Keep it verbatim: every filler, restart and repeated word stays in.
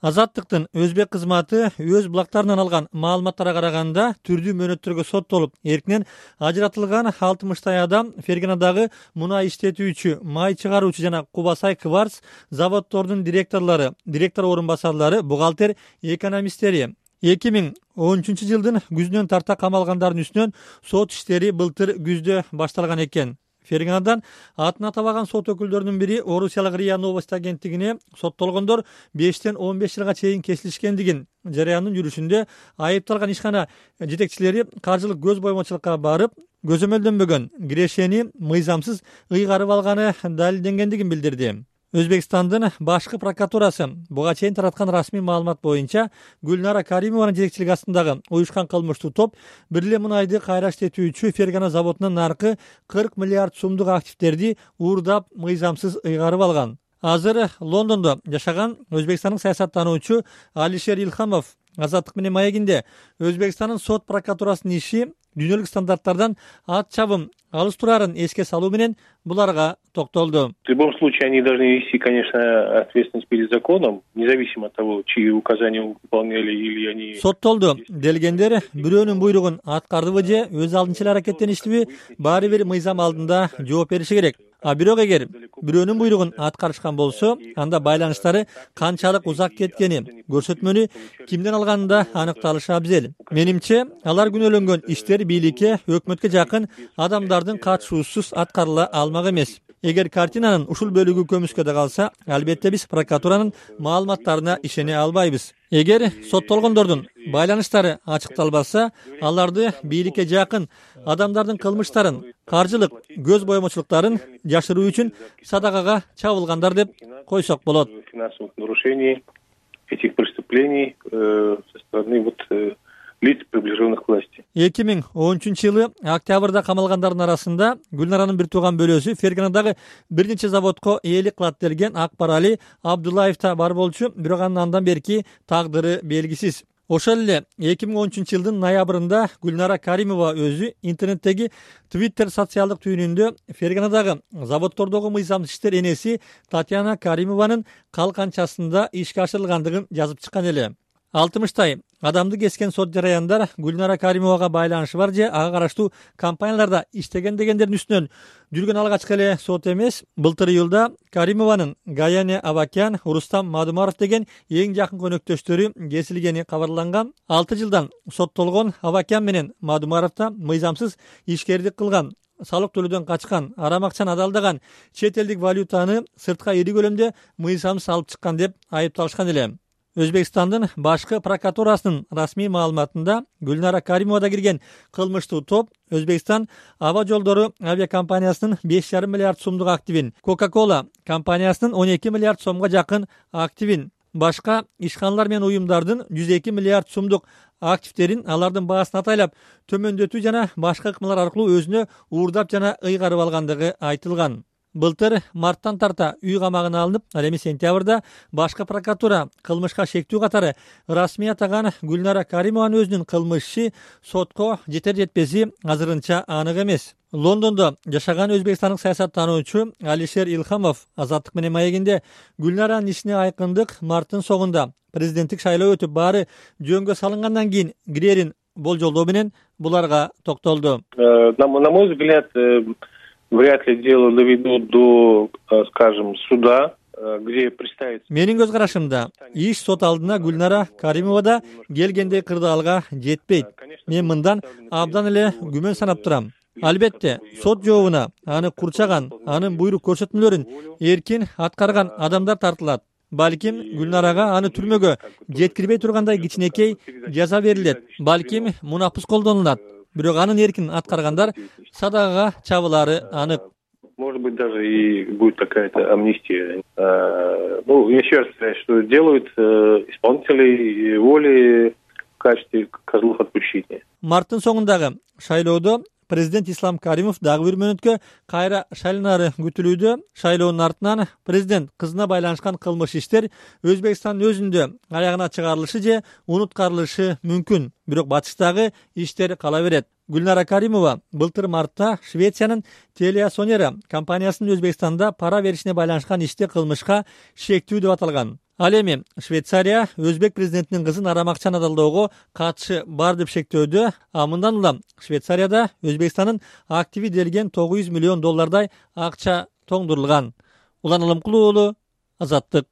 Азаттыктын өзбек кызматы өз булактарынан алган маалыматтарга караганда түрдүү мөөнөттөргө соттолуп, эркинен ажыратылган алтымыштай адам Фергенадагы мунай иштетүүчү, май чыгаруучу жана Кубасай Кварц заводдордун директорлору, директор орун басарлары, бухгалтер, экономисттери эки миң он үчүнчү жылдын күзүнөн тарта камалгандардын үстүнөн сот иштери былтыр күздө башталган экен. Фергенадан атын атабаган сот өкүлдөрүнүн бири Орусиялык РИА Новости агенттигине соттолгондор бештен он беш жылга чейин кесилишкендигин, жарыяндын жүрүшүндө айыпталган ишкана жетекчилери каржылык көз боймочулукка барып, көзөмөлдөнбөгөн кирешени мыйзамсыз ыйгарып алганы далилденгендигин билдирди. Өзбекстандын башкы прокуратурасы буга чейин тараткан расмий маалымат боюнча Гүлнара Каримованын жетекчилиги астындагы уюшкан кылмыштуу топ бир эле мунайды кайра иштетүүчү Фергена заводунан наркы кырк миллиард сумдук активдерди уурдап мыйзамсыз ыйгарып алган. Азыр Лондондо жашаган Өзбекстандын саясаттануучу Алишер Илхамов Азаттык менен маегинде Өзбекстандын сот прокуратурасынын иши дүйнөлүк стандарттардан ат чабым алыс турарын эске салуу менен буларга токтолду. В любом случае они должны нести, конечно, ответственность перед законом, независимо от того, чьи указания выполняли или они. Соттолду делгендер бирөөнүн буйругун аткардыбы же өз алдынча эле аракеттеништиби, баары бир мыйзам алдында жооп бериши керек. А бирок эгер бирөөнүн буйругун аткарышкан болсо, анда байланыштары канчалык узак кеткени, көрсөтмөнү кимден алганы да аныкталышы абзел. Менимче, алар күнөөлөнгөн иштер бийликке, өкмөткө жакын адамдардын катышуусуз аткарыла алмак эмес. Эгер картинанын ушул бөлүгү көмүскөдө калса, албетте биз прокуратуранын маалыматтарына ишене албайбыз. Эгер соттолгондордун байланыштары ачыкталбаса, аларды бийликке жакын адамдардын кылмыштарын, каржылык көз боемочулуктарын жашыруу үчүн садакага чабылгандар деп койсок болот. Финансовых нарушений этих преступлений со стороны вот лиц, приближенных к власти. эки миң он үчүнчү жылы октябрда камалгандардын арасында Гүлнаранын бир тууган бөлөсү Фергенадагы бир нече заводко ээлик кылат делген Акбарали Абдуллаев да бар болчу, бирок анын андан берки тагдыры белгисиз. Ошол эле эки миң он үчүнчү жылдын ноябрында Гүлнара Каримова өзү интернеттеги Twitter социалдык түйүнүндө Фергенадагы заводдордогу мыйзамсыз иштер энеси Татьяна Каримованын калканчасында ишке ашырылгандыгын жазып чыккан эле. алтымыштай адамды кескен сот жараяндар Гүлнара Каримовага байланышы бар же ага караштуу компанияларда иштеген дегендердин үстүнөн жүргөн алгачкы эле сот эмес. Былтыр июлда Каримованын Гаяне Авакян, Рустам Мадумаров деген эң жакын көнөктөштөрү кесилгени кабарланган. алты жылдан соттолгон Авакян менен Мадумаров да мыйзамсыз ишкердик кылган, салык төлөөдөн качкан, арам акчаны адалдаган, чет элдик валютаны сыртка ири көлөмдө мыйзамсыз алып чыккан деп айыпталышкан эле. Өзбекстандын башкы прокуратурасынын расмий маалыматында Гүлнара Каримовада кирген кылмыштуу топ Өзбекстан аба жолдору авиакомпаниясынын беш жарым миллиард сомдук активин, Coca-Cola компаниясынын он эки миллиард сомго жакын активин, башка ишканалар менен уюмдардын жүз эки миллиард сомдук активдерин алардын баасын атайлап төмөндөтүү жана башка ыкмалар аркылуу өзүнө уурдап жана ыйгарып алгандыгы айтылган. Былтыр марттан тарта үй камагына алынып, ал эми сентябрда башкы прокуратура кылмышка шектүү катары расмий атаган Гүлнара Каримованын өзүнүн кылмышы сотко жетер жетпези азырынча анык эмес. Лондондо жашаган өзбекстандык саясаттануучу Алишер Илхамов Азаттык менен маегинде Гүлнаранын ишине айкындык марттын соңунда президенттик шайлоо өтүп, баары жөнгө салынгандан кийин кирерин болжолдоо менен буларга токтолду. На мой взгляд, вряд ли дело доведут до, скажем, суда, где представить. Менин көз карашымда иш сот алдына Гүлнара Каримовада келгендей кырдаалга жетпейт. Мен мындан абдан эле күмөн санап турам. Албетте, сот жообуна аны курчаган, анын буйрук көрсөтмөлөрүн эркин аткарган адамдар тартылат. Балким Гүлнарага аны түрмөгө жеткирбей тургандай кичинекей жаза берилет. Балким мунапыс колдонулат. Бирок анын эркин аткаргандар садагага чабылары анык. Может быть, даже и будет какая-то амнистия. Ну, еще раз сказать, что делают исполнители воли в качестве козлов отпущения. Марттын соңундагы шайлоодо президент Ислам Каримов дагы бир мөөнөткө кайра шайланары күтүлүүдө. Шайлоонун артынан президент кызына байланышкан кылмыш иштер Өзбекстандын өзүндө аягына чыгарылышы же унуткарылышы мүмкүн. Бирок батыштагы иштер кала берет. Гүлнара Каримова былтыр мартта Швециянын Телеасонера компаниясынын Өзбекстанда пара беришине байланышкан иште кылмышка шектүү деп аталган. Ал эми Швейцария өзбек президентинин кызын арам акчаны далоого катышы бар деп шектөөдө. А мындан улам Швейцарияда Өзбекстандын активи делген тогуз жүз миллион доллардай акча тоңдурулган. Улан Алымкулуу уулу, Азаттык.